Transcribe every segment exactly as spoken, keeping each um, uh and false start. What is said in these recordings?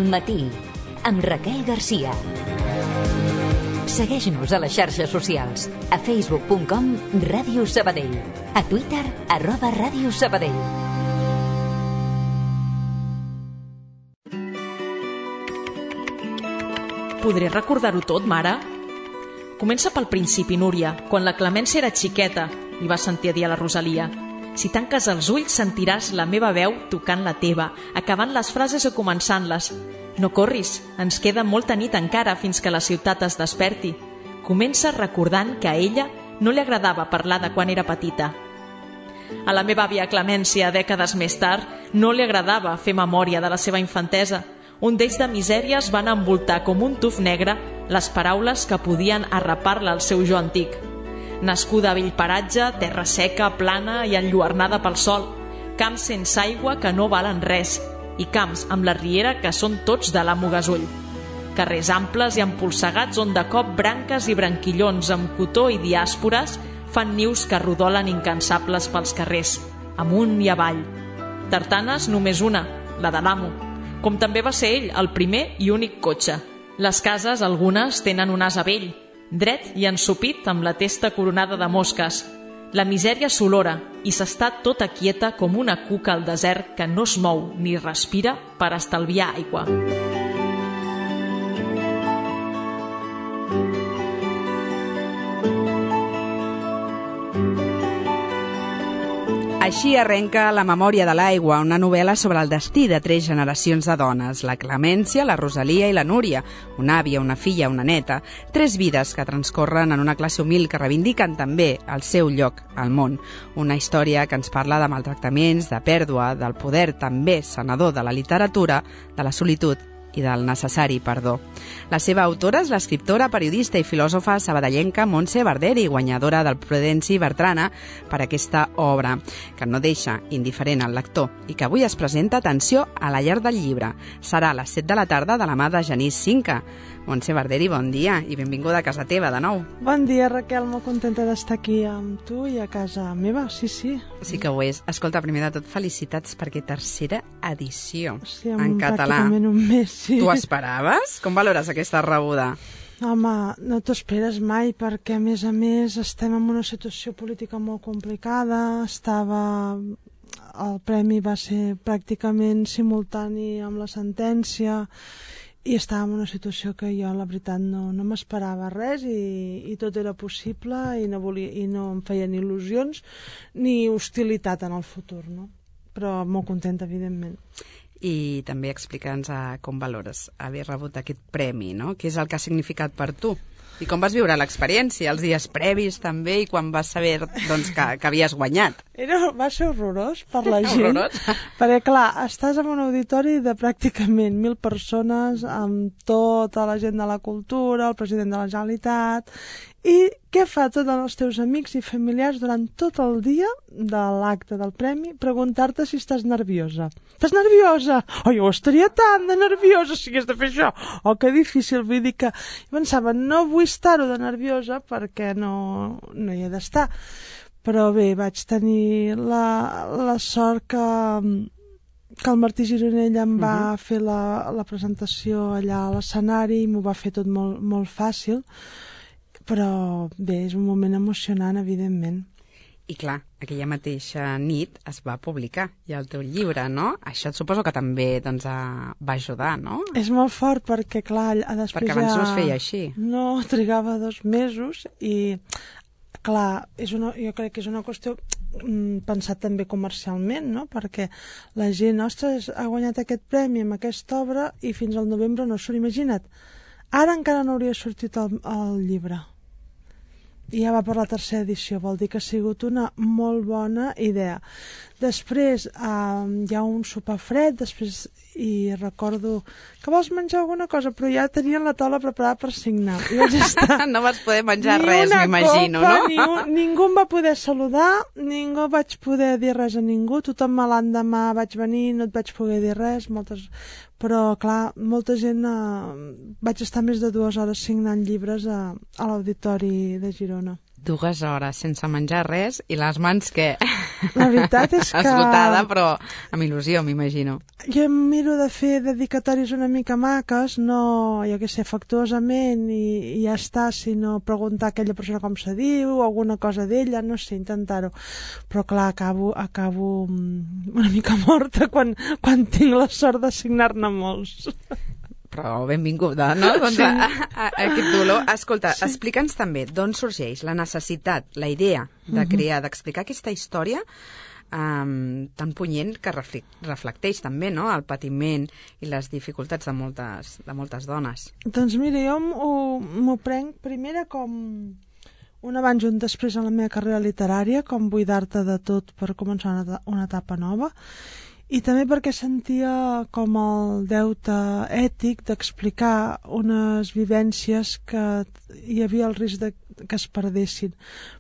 Matí, amb Raquel Garcia. Segueix-nos a les xarxes socials, a facebook punt com Ràdio Sabadell, a Twitter, arroba Ràdio Sabadell. Podré recordar-ho tot, mare? Comença pel principi, Núria, quan la Clemència era xiqueta, li va sentir a dir a la Rosalia. Si tanques els ulls sentiràs la meva veu tocant la teva, acabant les frases o començant-les. No corris, ens queda molta nit encara fins que la ciutat es desperti. Comença recordant que a ella no li agradava parlar de quan era petita. A la meva àvia Clemència, dècades més tard, no li agradava fer memòria de la seva infantesa. Un d'ells de misèries van envoltar com un tuf negre les paraules que podien arrapar-la al seu jo antic. Nascuda a vell paratge, terra seca, plana i enlluernada pel sol, camps sense aigua que no valen res i camps amb la riera que són tots de l'amo Gasull. Carrers amples i empolsegats on de cop branques i branquillons amb cotó i diàspores fan nius que rodolen incansables pels carrers, amunt i avall. Tartanes només una, la de l'amo, com també va ser ell el primer i únic cotxe. Les cases, algunes, tenen un ase vell, dret i ensopit amb la testa coronada de mosques. La misèria s'olora i s'està tota quieta com una cuca al desert que no es mou ni respira per estalviar aigua. Així arrenca La memòria de l'aigua, una novel·la sobre el destí de tres generacions de dones, la Clemència, la Rosalia i la Núria, una àvia, una filla, una neta, tres vides que transcorren en una classe humil que reivindiquen també el seu lloc al món. Una història que ens parla de maltractaments, de pèrdua, del poder també sanador de la literatura, de la solitud i del necessari perdó. La seva autora és l'escriptora, periodista i filòsofa sabadellenca Montse Barderi, guanyadora del Prudenci Bertrana per aquesta obra, que no deixa indiferent al lector i que avui es presenta, atenció, a la Llar del Llibre. Serà a les set de la tarda de la mà de Genís Cinca. Montse Barderi, bon dia i benvinguda a casa teva de nou. Bon dia, Raquel, molt contenta d'estar aquí amb tu i a casa meva, sí, sí. Sí que ho és. Escolta, primer de tot, felicitats perquè tercera edició sí, en català. Pràcticament un mes, sí. Tu esperaves? Com valores aquesta rebuda? Home, no t'ho esperes mai perquè, a més a més, estem en una situació política molt complicada. Estava... El premi va ser pràcticament simultani amb la sentència i estàvem en una situació que jo, la veritat, no, no m'esperava res i, i tot era possible i no, volia, i no em feien il·lusions ni hostilitat en el futur, no? Però molt contenta, evidentment. I també explica'ns com valores haver rebut aquest premi, no? Què és el que ha significat per tu? I com vas viure l'experiència, els dies previs també, i quan vas saber doncs, que, que havies guanyat? Era, va ser horrorós per la gent. Horrorós? Perquè, clar, estàs en un auditori de pràcticament mil persones, amb tota la gent de la cultura, el president de la Generalitat, i què fa tots els teus amics i familiars durant tot el dia de l'acte del premi? Preguntar-te si estàs nerviosa. Estàs nerviosa? Oh, jo estaria tan de nerviosa si hagués de fer això. Oh, que difícil. Vull dir que jo pensava, no vull estar-ho de nerviosa perquè no, no hi he d'estar. Però bé, vaig tenir la, la sort que, que el Martí Gironell em va uh-huh. fer la, la presentació allà a l'escenari i m'ho va fer tot molt, molt fàcil. Però bé, és un moment emocionant, evidentment. I clar, aquella mateixa nit es va publicar ja el teu llibre, no? Això et suposo que també doncs, va ajudar, no? És molt fort perquè, clar, després perquè abans ja... no es feia així. No, trigava dos mesos i, clar, és una, jo crec que és una qüestió pensat també comercialment, no? Perquè la gent, ostres, ha guanyat aquest premi amb aquesta obra i fins al novembre no surt. Imagina't, ara encara no hauria sortit el, el llibre. I ja va per la tercera edició, vol dir que ha sigut una molt bona idea. Després eh, hi ha un sopar fred, després i recordo que vols menjar alguna cosa, però ja tenien la taula preparada per signar. I vaig estar... no vas poder menjar res, m'imagino, no? Ni un, ningú em va poder saludar, ningú vaig poder dir res a ningú, tothom l'endemà vaig venir, no et vaig poder dir res, moltes... però clar, molta gent eh, vaig estar més de dues hores signant llibres a, a l'Auditori de Girona. Dues hores sense menjar res i les mans, què? La veritat és que... Esgotada, però amb il·lusió, m'imagino. Jo em miro de fer dedicatoris una mica maques, no, jo què sé, afectuosament i, i ja està, sinó preguntar a aquella persona com se diu, alguna cosa d'ella, no sé, intentar-ho. Però clar, acabo, acabo una mica morta quan, quan tinc la sort de signar-ne molts. Però benvinguda, no? Doncs sí. a, a, a aquest dolor. Escolta, sí. explica'ns també d'on sorgeix la necessitat, la idea de crear, d'explicar aquesta història um, tan punyent que reflecteix també, no?, el patiment i les dificultats de moltes, de moltes dones. Doncs mira, jo m'ho prenc primera com un abans i un després en la meva carrera literària, com buidar-te de tot per començar una, una etapa nova, i també perquè sentia com el deute ètic d'explicar unes vivències que hi havia el risc de que es perdessin,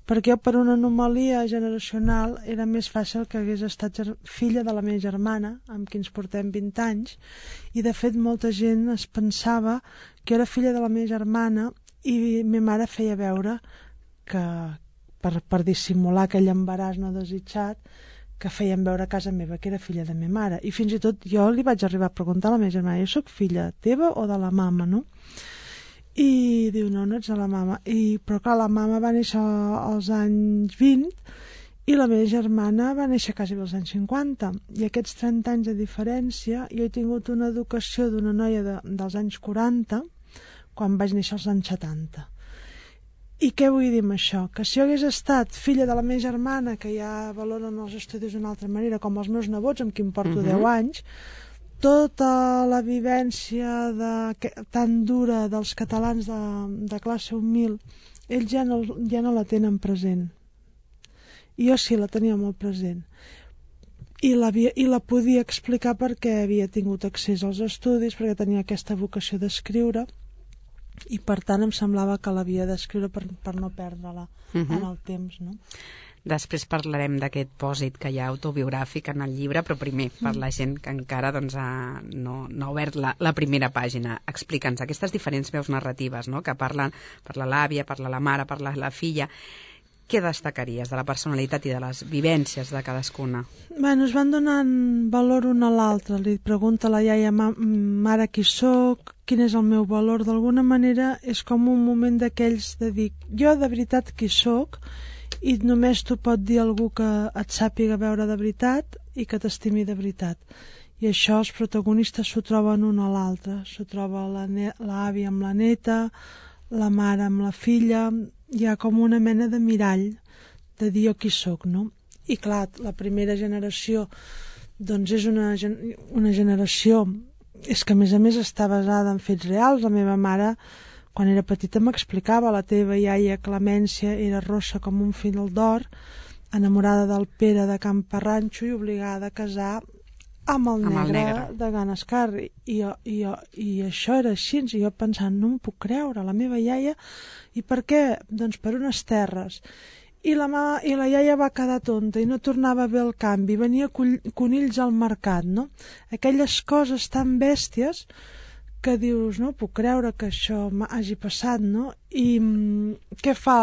perquè jo per una anomalia generacional era més fàcil que hagués estat filla de la meva germana, amb qui ens portem vint anys, i de fet molta gent es pensava que era filla de la meva germana i ma mare feia veure que per, per dissimular aquell embaràs no desitjat que feien veure a casa meva que era filla de ma mare, i fins i tot jo li vaig arribar a preguntar a la meva germana, jo soc filla teva o de la mama, no? I diu, no, no ets de la mama. I, però clar, la mama va néixer als anys vint i la meva germana va néixer quasi als anys cinquanta, i aquests trenta anys de diferència jo he tingut una educació d'una noia de, dels anys quaranta quan vaig néixer als anys setanta. I què vull dir amb això? Que si jo hagués estat filla de la meva germana, que ja valoren els estudis d'una altra manera, com els meus nebots, amb qui em porto uh-huh. deu anys, tota la vivència de, que, tan dura dels catalans de, de classe humil, ells ja no, ja no la tenen present. I jo sí la tenia molt present. I la, I la podia explicar perquè havia tingut accés als estudis, perquè tenia aquesta vocació d'escriure, i per tant em semblava que l'havia d'escriure per, per no perdre-la uh-huh. en el temps, no? Després parlarem d'aquest pòsit que hi ha autobiogràfic en el llibre, però primer, per la gent que encara doncs, ha, no, no ha obert la, la primera pàgina, explica'ns aquestes diferents veus narratives, no?, que parlen, parla l'àvia, parla la mare, parla la filla. Què destacaries de la personalitat i de les vivències de cadascuna? Bueno, es van donant valor una a l'altra. Li pregunta a la iaia, mare, qui sóc? Quin és el meu valor? D'alguna manera és com un moment d'aquells de dir, jo de veritat qui sóc, i només t'ho pot dir algú que et sàpiga veure de veritat i que t'estimi de veritat. I això els protagonistes s'ho troben una a l'altra. S'ho troba l'àvia amb la neta, la mare amb la filla, hi ha com una mena de mirall de dir jo qui sóc, no? I clar, la primera generació doncs és una, una generació, és que a més a més està basada en fets reals. La meva mare quan era petita m'explicava, la teva iaia Clemència era rossa com un fil d'or, enamorada del Pere de Can Parranxo i obligada a casar amb el, amb negre, el negre de Ganescar, i, i, i, i això era així, i jo pensant, no m'ho puc creure, la meva iaia, i per què? Doncs per unes terres, i la, mama, i la iaia va quedar tonta i no tornava a ver el canvi, venia conills al mercat, no? Aquelles coses tan bèsties que dius, no puc creure que això hagi passat, no? I mm, què fa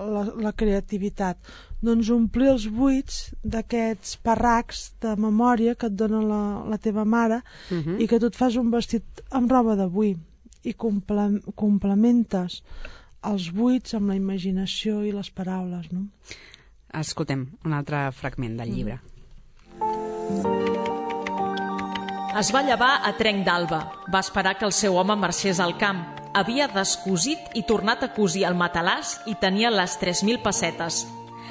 la, la creativitat? Doncs omplir els buits d'aquests parracs de memòria que et dona la, la teva mare uh-huh. i que tu et fas un vestit amb roba d'avui i comple complementes els buits amb la imaginació i les paraules, no? Escoltem un altre fragment del llibre. Es va llevar a trenc d'alba. Va esperar que el seu home marxés al camp. Havia descosit i tornat a cosir el matalàs i tenia les tres mil pessetes.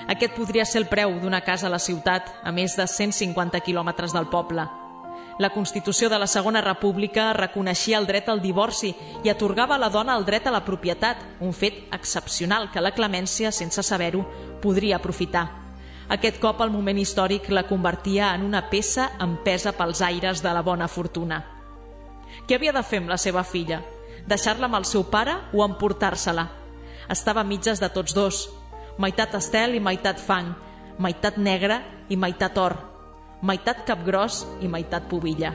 Aquest podria ser el preu d'una casa a la ciutat, a més de cent cinquanta quilòmetres del poble. La Constitució de la Segona República reconeixia el dret al divorci i atorgava a la dona el dret a la propietat, un fet excepcional que la Clemència, sense saber-ho, podria aprofitar. Aquest cop el moment històric la convertia en una peça empesa pels aires de la bona fortuna. Què havia de fer amb la seva filla? Deixar-la amb el seu pare o emportar-se-la? Estava a mitges de tots dos. Meitat estel i meitat fang, meitat negre i meitat or, meitat capgròs i meitat pubilla.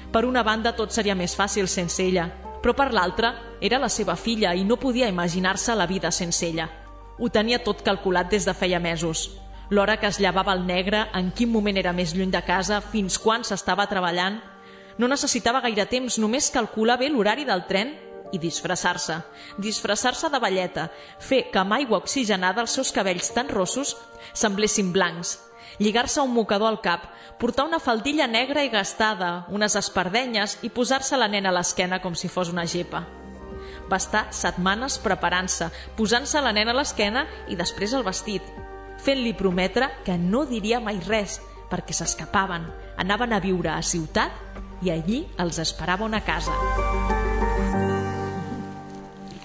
Per una banda tot seria més fàcil sense ella, però per l'altra era la seva filla i no podia imaginar-se la vida sense ella. Ho tenia tot calculat des de feia mesos. L'hora que es llevava el negre, en quin moment era més lluny de casa, fins quan s'estava treballant. No necessitava gaire temps, només calcular bé l'horari del tren i disfressar-se. Disfressar-se de velleta, fer que amb aigua oxigenada els seus cabells tan rossos semblessin blancs, lligar-se un mocador al cap, portar una faldilla negra i gastada, unes espardenyes i posar-se la nena a l'esquena com si fos una gepa. Va estar setmanes preparant-se, posant-se la nena a l'esquena i després el vestit, fent-li prometre que no diria mai res, perquè s'escapaven, anaven a viure a ciutat i allí els esperava una casa.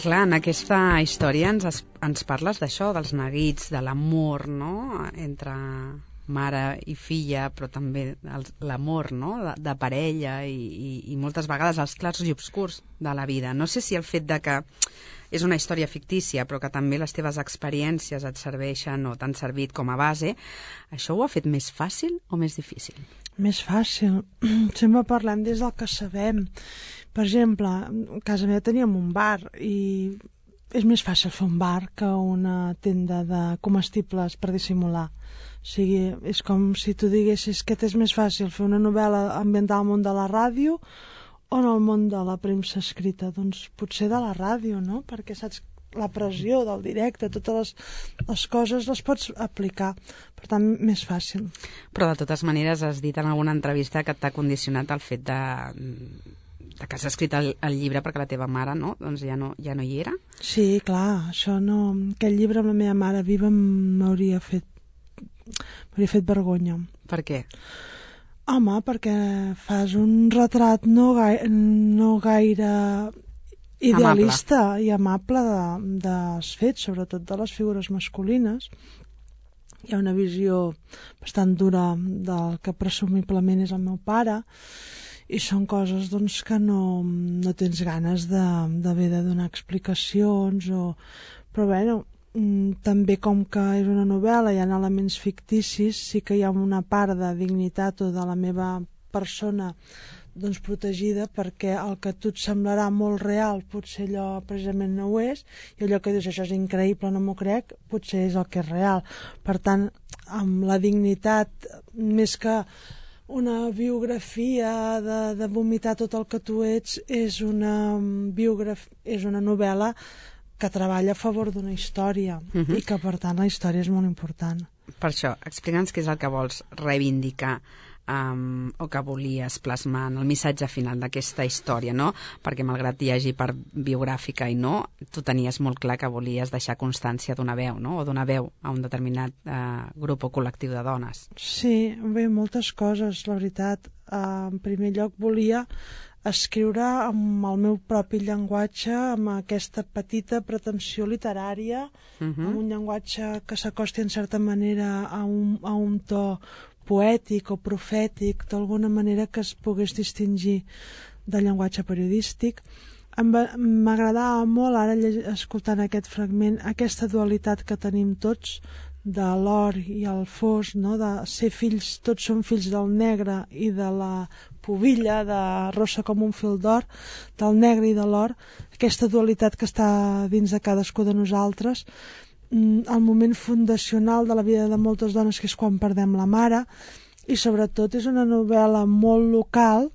Clar, en aquesta història ens, ens parles d'això, dels neguits, de l'amor, no?, entre mare i filla, però també l'amor, no?, de, de parella i, i, i moltes vegades els clars i obscurs de la vida. No sé si el fet de que és una història fictícia, però que també les teves experiències et serveixen o t'han servit com a base, això ho ha fet més fàcil o més difícil? Més fàcil. Sempre parlem des del que sabem. Per exemple, a casa meva teníem un bar i és més fàcil fer un bar que una tenda de comestibles per dissimular. O sigui, és com si tu diguessis que és més fàcil fer una novel·la ambientada al món de la ràdio o en el món de la premsa escrita. Doncs potser de la ràdio, no? Perquè saps la pressió del directe, totes les, les coses les pots aplicar, per tant, més fàcil. Però de totes maneres has dit en alguna entrevista que t'ha condicionat el fet de, de que has escrit el, el llibre perquè la teva mare, no? Doncs ja no, ja no hi era? Sí, clar, això no... Aquell llibre amb la meva mare viva m'hauria fet m'hauria fet vergonya. Per què? Home, perquè fas un retrat no, gai, no gaire idealista amable. I amable de, dels fets, sobretot de les figures masculines. Hi ha una visió bastant dura del que presumiblement és el meu pare i són coses doncs, que no, no tens ganes d'haver de, de donar explicacions o... però bueno, també com que és una novel·la, hi ha elements ficticis, sí que hi ha una part de dignitat o de la meva persona doncs protegida, perquè el que a tu et semblarà molt real potser allò precisament no ho és, i allò que dius això és increïble, no m'ho crec, potser és el que és real. Per tant, amb la dignitat, més que una biografia de, de vomitar tot el que tu ets, és una, biograf... és una novel·la que treballa a favor d'una història uh-huh. i que per tant la història és molt important. Per això, explica'ns què és el que vols reivindicar um, o que volies plasmar en el missatge final d'aquesta història, no? Perquè malgrat hi hagi part biogràfica i no, tu tenies molt clar que volies deixar constància d'una veu, no? O d'una veu a un determinat uh, grup o col·lectiu de dones. Sí, bé, moltes coses, la veritat. Uh, en primer lloc volia escriure amb el meu propi llenguatge, amb aquesta petita pretensió literària, uh-huh. amb un llenguatge que s'acosti en certa manera a un, a un to poètic o profètic, d'alguna manera que es pogués distingir del llenguatge periodístic. M'agradava molt, ara escoltant aquest fragment, aquesta dualitat que tenim tots, de l'or i el fos, no? De ser fills, tots som fills del negre i de la pubilla, de rossa com un fil d'or, del negre i de l'or, aquesta dualitat que està dins de cadascú de nosaltres, el moment fundacional de la vida de moltes dones, que és quan perdem la mare, i sobretot és una novel·la molt local,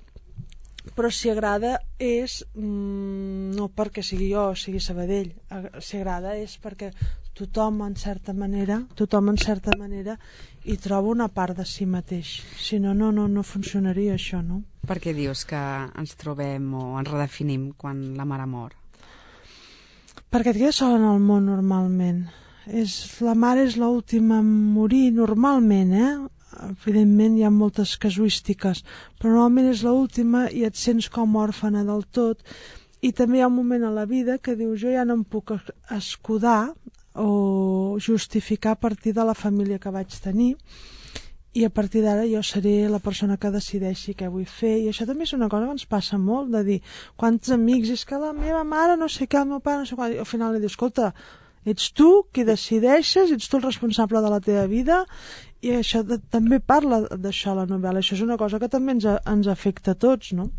però si agrada és mm, no perquè sigui jo o sigui Sabadell, si agrada és perquè tothom en certa manera tothom en certa manera hi troba una part de si mateix, si no, no, no, no funcionaria això, no? Per què dius que ens trobem o ens redefinim quan la mare mor? Perquè et quedes sola en el món normalment, és, la mare és l'última a morir normalment, eh? Evidentment hi ha moltes casuístiques, però normalment és l'última i et sents com òrfana del tot, i també hi ha un moment a la vida que dius jo ja no em puc escudar o justificar a partir de la família que vaig tenir, i a partir d'ara jo seré la persona que decideixi què vull fer. I això també és una cosa que ens passa molt, de dir quants amics, és que la meva mare no sé què, el meu pare no sé què, i al final li dius, escolta, ets tu qui decideixes, ets tu el responsable de la teva vida, i això de, també parla d'això la novel·la. Això és una cosa que també ens, ens afecta a tots, no?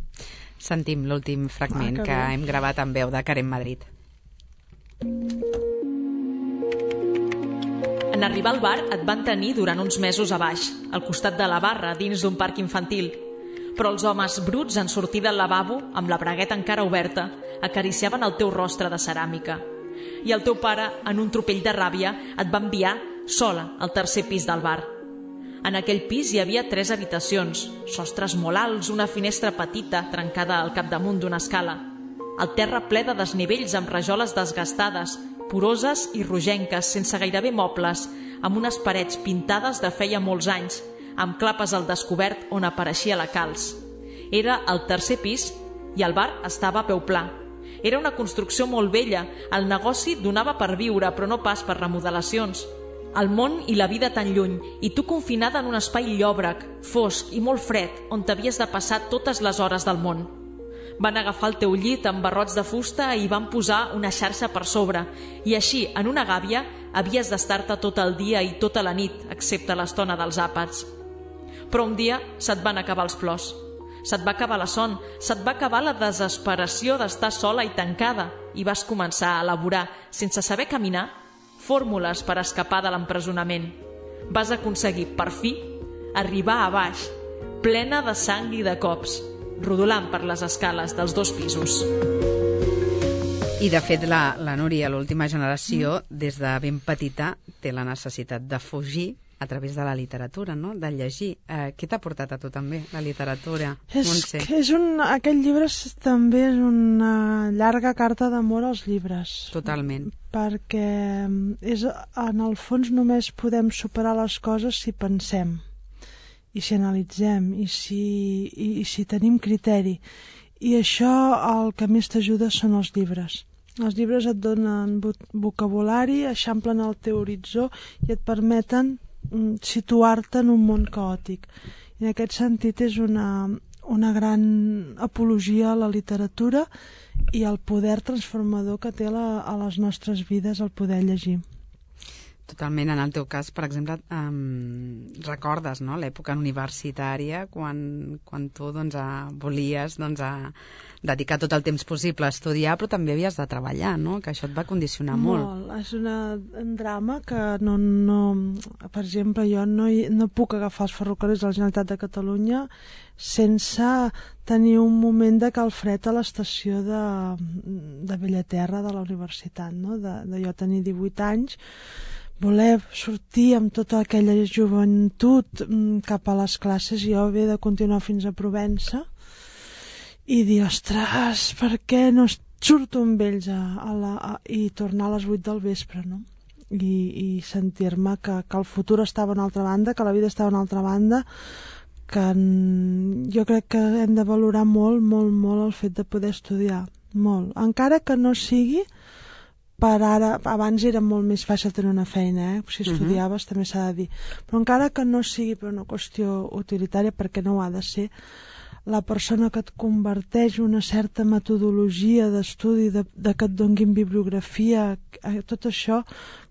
Sentim l'últim fragment ah, que, que hem gravat amb veu de Karen Madrid. En arribar al bar et van tenir durant uns mesos a baix, al costat de la barra, dins d'un parc infantil. Però els homes bruts en sortir del lavabo, amb la bragueta encara oberta, acariciaven el teu rostre de ceràmica. I el teu pare, en un tropell de ràbia, et va enviar sola al tercer pis del bar. En aquell pis hi havia tres habitacions, sostres molt alts, una finestra petita trencada al capdamunt d'una escala. El terra ple de desnivells amb rajoles desgastades, poroses i rogenques, sense gairebé mobles, amb unes parets pintades de feia molts anys, amb clapes al descobert on apareixia la calç. Era el tercer pis i el bar estava a peu pla. Era una construcció molt vella, el negoci donava per viure, però no pas per remodelacions. El món i la vida tan lluny, i tu confinada en un espai llòbrec, fosc i molt fred, on t'havies de passar totes les hores del món. Van agafar el teu llit amb barrots de fusta i van posar una xarxa per sobre, i així, en una gàbia, havies d'estar-te tot el dia i tota la nit, excepte l'estona dels àpats. Però un dia se't van acabar els plors. Se't va acabar la son, se't va acabar la desesperació d'estar sola i tancada, i vas començar a elaborar, sense saber caminar, fórmules per escapar de l'empresonament. Vas aconseguir, per fi, arribar a baix, plena de sang i de cops, rodolant per les escales dels dos pisos. I, de fet, la, la Núria, l'última generació, des de ben petita, té la necessitat de fugir a través de la literatura, no? De llegir. Eh, què t'ha portat a tu també, la literatura? És, és un, aquest llibre també és una llarga carta d'amor als llibres. Totalment. Perquè és, en el fons només podem superar les coses si pensem, i si analitzem, i si, i, i si tenim criteri. I això el que més t'ajuda són els llibres. Els llibres et donen vocabulari, eixamplen el teu horitzó i et permeten situar-te en un món caòtic. I en aquest sentit és una, una gran apologia a la literatura i al poder transformador que té la, a les nostres vides el poder llegir. Totalment. En el teu cas, per exemple, um, recordes, no?, l'època universitària quan, quan tu doncs, a, volies doncs, a dedicar tot el temps possible a estudiar, però també havies de treballar, no?, que això et va condicionar molt. Molt. És una, un drama que no, no... Per exemple, jo no, no puc agafar els ferrocarrils de la Generalitat de Catalunya sense tenir un moment de calfred a l'estació de, de Bellaterra de la universitat, no?, de, de jo tenir divuit anys, voler sortir amb tota aquella joventut cap a les classes i jo haver de continuar fins a Provença i dir, ostres, per què no surto amb ells a, a la, a, i tornar a les vuit del vespre, no? I, i sentir-me que, que el futur estava a una altra banda, que la vida estava a una altra banda, que en, jo crec que hem de valorar molt, molt, molt el fet de poder estudiar, molt. Encara que no sigui per ara, abans era molt més fàcil tenir una feina, eh? Si estudiaves, uh-huh. també s'ha de dir. Però encara que no sigui per una qüestió utilitària, perquè no ho ha de ser, la persona que et converteix una certa metodologia d'estudi, de, de que et donguin bibliografia, tot això,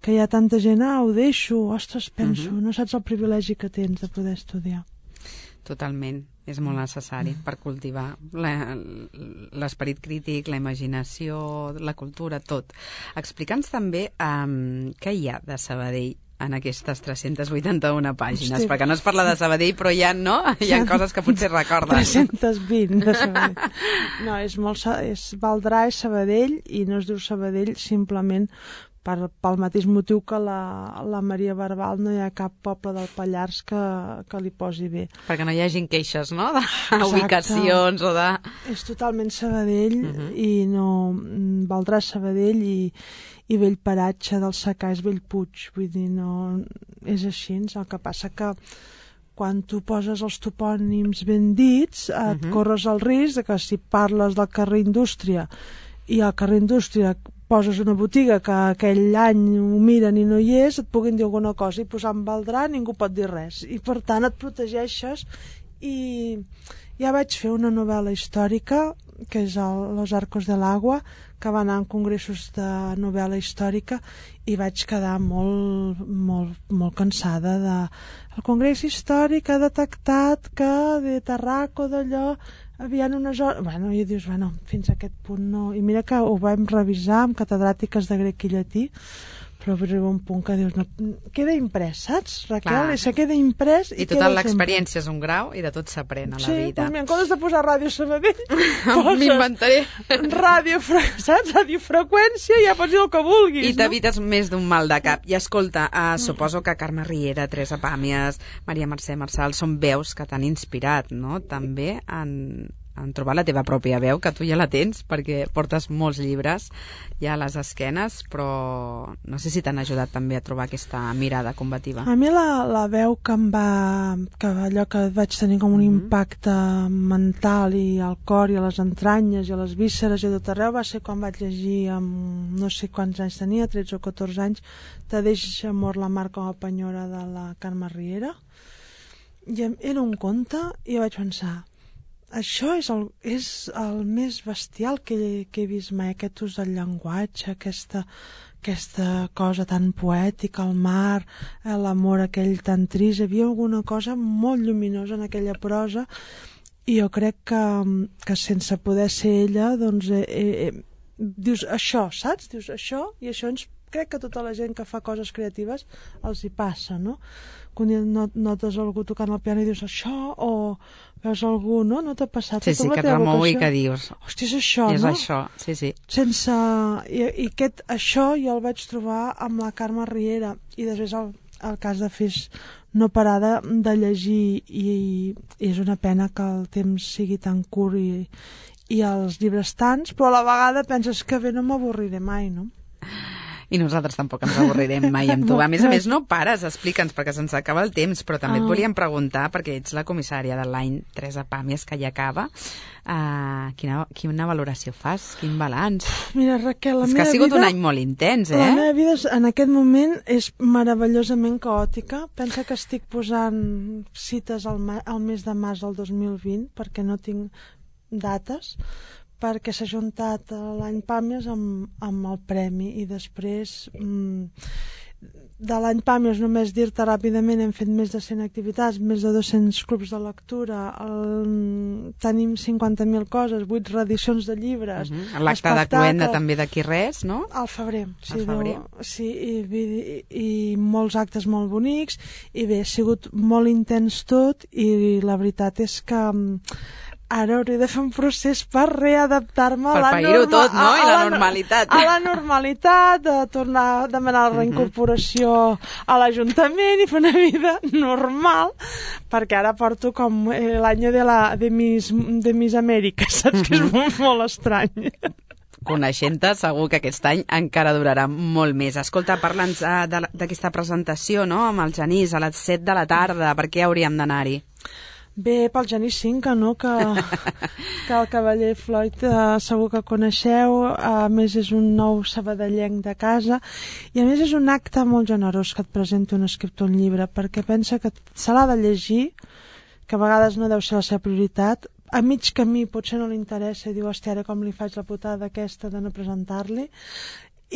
que hi ha tanta gent, ah, ho deixo, ostres, penso, uh-huh. no saps el privilegi que tens de poder estudiar. Totalment. És molt necessari per cultivar l'esperit crític, la imaginació, la cultura, tot. Explica'ns també um, què hi ha de Sabadell en aquestes tres-cents vuitanta-una pàgines, Hosti. Perquè no es parla de Sabadell, però hi ha, no? Hi ha coses que potser recordes. tres-cents vint de Sabadell. No, és molt, és Valdrà és Sabadell i no es diu Sabadell simplement per, pel mateix motiu que la, la Maria Barbal no hi ha cap poble del Pallars que, que li posi bé. Perquè no hi hagin queixes, no?, de Exacte. Ubicacions o de... És totalment Sabadell uh-huh. i no... Valdrà Sabadell i, i Bellparatge del Secà és Bellpuig, vull dir, no... És així, el que passa que quan tu poses els topònims ben dits et uh-huh. corres el risc que si parles del carrer Indústria i al carrer Indústria poses una botiga que aquell any ho miren i no hi és, et puguin dir alguna cosa i posant Valdrà ningú pot dir res i per tant et protegeixes i ja vaig fer una novel·la històrica que és el Los Arcos del Agua, que va anar en congressos de novel·la històrica i vaig quedar molt, molt, molt cansada de... El congrés històric ha detectat que de Tarraco d'allò havien unes hores... Bueno, i dius, bueno, fins a aquest punt no... I mira que ho vam revisar amb catedràtiques de grec i llatí, però arriba un punt que dius, no, queda imprès, saps, Raquel? Clar. I se queda imprès i, I tota queda l'experiència és un grau i de tot s'aprèn a la sí, vida. Sí, en comptes de posar Ràdio Sabadell, m'inventaré ràdio, saps? Radiofreqüència i ja pots dir el que vulguis, i t'evites no? més d'un mal de cap. I escolta, uh, suposo que Carme Riera, Teresa Pàmies, Maria Mercè Marçal són veus que t'han inspirat, no? També en, en trobar la teva pròpia veu, que tu ja la tens perquè portes molts llibres ja a les esquenes, però no sé si t'han ajudat també a trobar aquesta mirada combativa. A mi la, la veu que em va... que allò que vaig tenir com un mm-hmm. impacte mental i al cor i a les entranyes i a les vísceres i a tot arreu va ser quan vaig llegir amb no sé quants anys tenia, tretze o catorze anys, Te deixa amor la mar com a penyora de la Carme Riera, i era un conte i vaig pensar, això és el, és el més bestial que, que he vist mai, aquest ús del llenguatge, aquesta, aquesta cosa tan poètica, el mar, l'amor aquell tan trist. Hi havia alguna cosa molt lluminosa en aquella prosa i jo crec que, que sense poder ser ella, doncs, eh, eh, dius això, saps? Dius això i això ens crec que tota la gent que fa coses creatives els hi passa, no? Quan notes algú tocant el piano i dius això, o veus algú, no? No t'ha passat? Sí, sí, que et remou i que dius... Hòstia, és això, és no? És això, sí, sí. Sense... I, i aquest, això jo el vaig trobar amb la Carme Riera i després el, el cas de Fes no parar de, de llegir i, i és una pena que el temps sigui tan curt i, i els llibres tants, però a la vegada penses que bé, no m'avorriré mai, no? I nosaltres tampoc ens avorrirem mai amb tu. A més a més, no pares, explica'ns, perquè se'ns acaba el temps, però també et volíem preguntar, perquè ets la comissària de l'any Teresa Pàmies, que ja acaba, uh, quina, quina valoració fas? Quin balanç? Mira, Raquel, la és meva que ha sigut vida, un any molt intens, eh? La meva vida en aquest moment és meravellosament caòtica. Pensa que estic posant cites al, ma al mes de març del dos mil vint, perquè no tinc dates, perquè s'ha juntat l'any Pàmies amb, amb el premi i després mmm, de l'any Pàmies només dir-te ràpidament hem fet més de cent activitats, més de dos-cents clubs de lectura, el, tenim cinquanta mil coses, vuit reedicions de llibres, uh-huh. L'acte de Cluenda també d'aquí res, no? Al febrer, sí, al febrer. No, sí i, i, i molts actes molt bonics i bé, ha sigut molt intens tot i la veritat és que ara hauré de fer un procés per readaptar-me a la pair-ho tot, no? I la normalitat. A la normalitat, de tornar a demanar la reincorporació a l'Ajuntament i fer una vida normal, perquè ara porto com l'any de, la, de, Miss, de Miss Amèrica, saps? Que és molt, molt estrany. Coneixent-te, segur que aquest any encara durarà molt més. Escolta, parla'ns d'aquesta presentació, no?, amb el Genís, a les set de la tarda. Per què hauríem d'anar-hi? Bé, pel Genís Cinca, no? Que, que el cavaller Floyd eh, segur que coneixeu, a més és un nou sabadellenc de casa i a més és un acte molt generós que et presenti un escriptor un llibre, perquè pensa que se l'ha de llegir, que a vegades no deu ser la seva prioritat, a mig camí potser no li interessa i diu, hòstia, ara com li faig la putada aquesta de no presentar-li,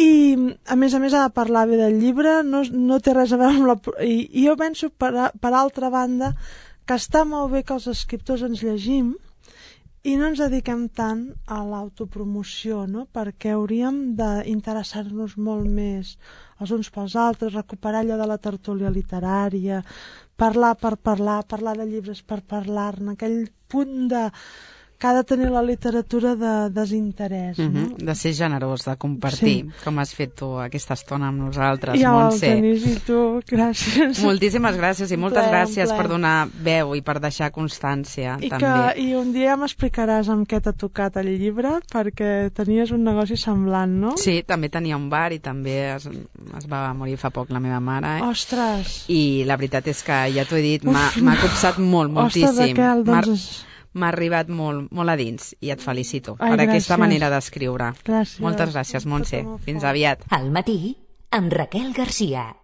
i a més a més ha de parlar bé del llibre, no, no té res a veure amb la... I, i jo penso, per, per altra banda, que està molt bé que els escriptors ens llegim i no ens dediquem tant a l'autopromoció, no? Perquè hauríem d'interessar-nos molt més els uns pels altres, recuperar allò de la tertúlia literària, parlar per parlar, parlar de llibres per parlar-ne, aquell punt de... que ha de tenir la literatura de desinterès, no? Uh-huh. De ser generós, de compartir, sí. Com has fet tu aquesta estona amb nosaltres, I Montse. I el Genís i tu, gràcies. Moltíssimes gràcies i moltes ple, gràcies ple. per donar veu i per deixar constància, I també. Que, I un dia ja m'explicaràs amb què t'ha tocat el llibre, perquè tenies un negoci semblant, no? Sí, també tenia un bar i també es, es va morir fa poc la meva mare. Eh? Ostres! I la veritat és que, ja t'ho he dit, m'ha copsat molt, moltíssim. Ostres, Raquel, doncs... M'ha arribat molt, molt a dins i et felicito Ai, per gràcies. Aquesta manera d'escriure. Gràcies. Moltes gràcies, Montse. Fins aviat. Al matí, amb Raquel Garcia.